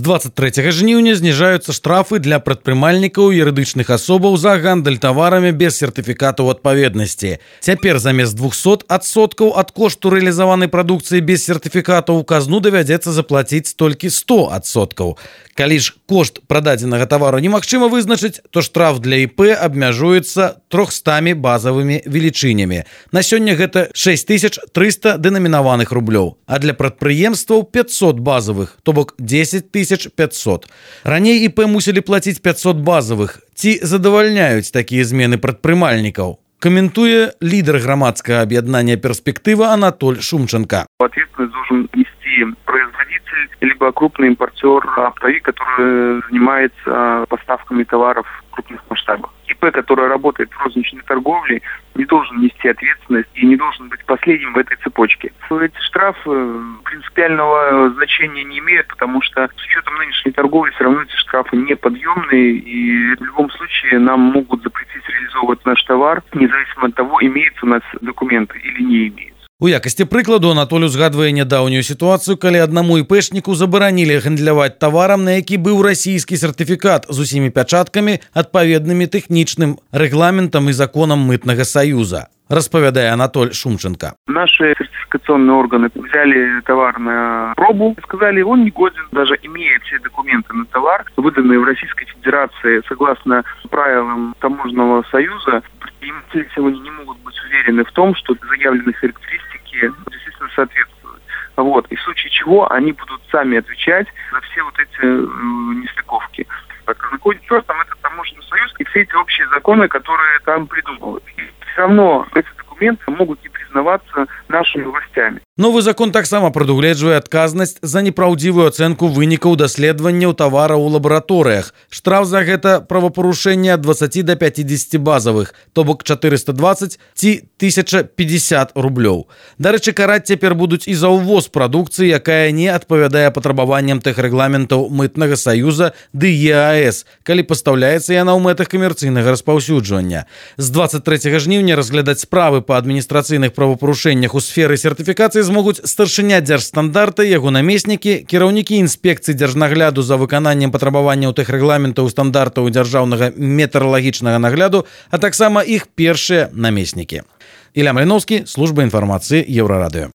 З 23 жніўня зніжаюцца штрафы для прадпрымальнікаў юрыдычных асобаў за гандаль таварамі без сертыфікатаў адпаведнасці. Цяпер замест 200% ад кошту рэалізаванай прадукцыі без сертыфікатаў у казну давядзецца заплаціць толькі 100%. Калі ж кошт прададзенага тавару немагчыма вызначыць, то штраф для ІП абмяжуецца 300 базавымі велічынямі. На сёння гэта 6300 дэнамінаваных рублёў, а для прадпрыемстваў 500 базавых, то бок 10 500. Раней ІП мусілі плаціць 500 базавых. Ці задавальняюць такія змены прадпрымальнікаў? Комментуя лидер громадского объединения «Перспектива» Анатоль Шумченко. Ответственность должен нести производитель, либо крупный импортер, оптовик, который занимается поставками товаров в крупных масштабах. ИП, который работает в розничной торговле, не должен нести ответственность и не должен быть последним в этой цепочке. Эти штрафы принципиального значения не имеют, потому что с учетом нынешней торговли все равно эти штрафы неподъемные, и в любом случае нам могут запретить реализовывать наш товар, независимо от того, имеются у нас документы или не имеются. У якасці прыкладу Анатоль узгадвае нядаўнюю сітуацыю, калі аднаму ІПшніку забаранілі гандляваць таварам, на які быў расійскі сертыфікат з усімі пячаткамі, адпаведнымі тэхнічным рэгламентам і законам Мытнага Саюза. Распавядае Анатоль Шумченко. Наши сертификационные органы взяли товар на пробу, сказали, он не годен, даже имея все документы на товар, выданные в Российской Федерации согласно правилам Таможенного союза, предприниматели сегодня не могут быть уверены в том, что заявленные характеристики действительно соответствуют. Вот. И в случае чего они будут сами отвечать за все вот эти нестыковки. Находится это Таможенный союз и все эти общие законы, которые там придумывают. Все равно эти документы могут не признаваться нашими властями. Новы закон таксама прадугледжвае адказнасць за непраўдзівую ацэнку вынікаў даследаванняў тавара ў лабараторыях. Штраф за гэта правапарушэнне ад 20 до 50 базавых, то бок 420 ці 1050 рублёў. Дарэчы, караць цяпер будуць і за ўвоз прадукцыі, якая не адпавядае патрабаванням тэхрэгламентаў Мытнага Саюза ды ЕАЭС, калі пастаўляецца яна ў мэтах камерцыйнага распаўсюджвання. З 23 жніўня разглядаць справы па адміністрацыйных правапарушэннях у сферы сертыфікацыі змогуць старшыня дзяржстандарта, яго намеснікі, кіраўнікі інспекцыі дзяржнагляду за выкананнем патрабаванняў тэхрэгламентаў стандартаў дзяржаўнага метэаралагічнага нагляду, а таксама іх першыя намеснікі. Ілля Маліноўскі, служба інфармацыі Еўрарадыё.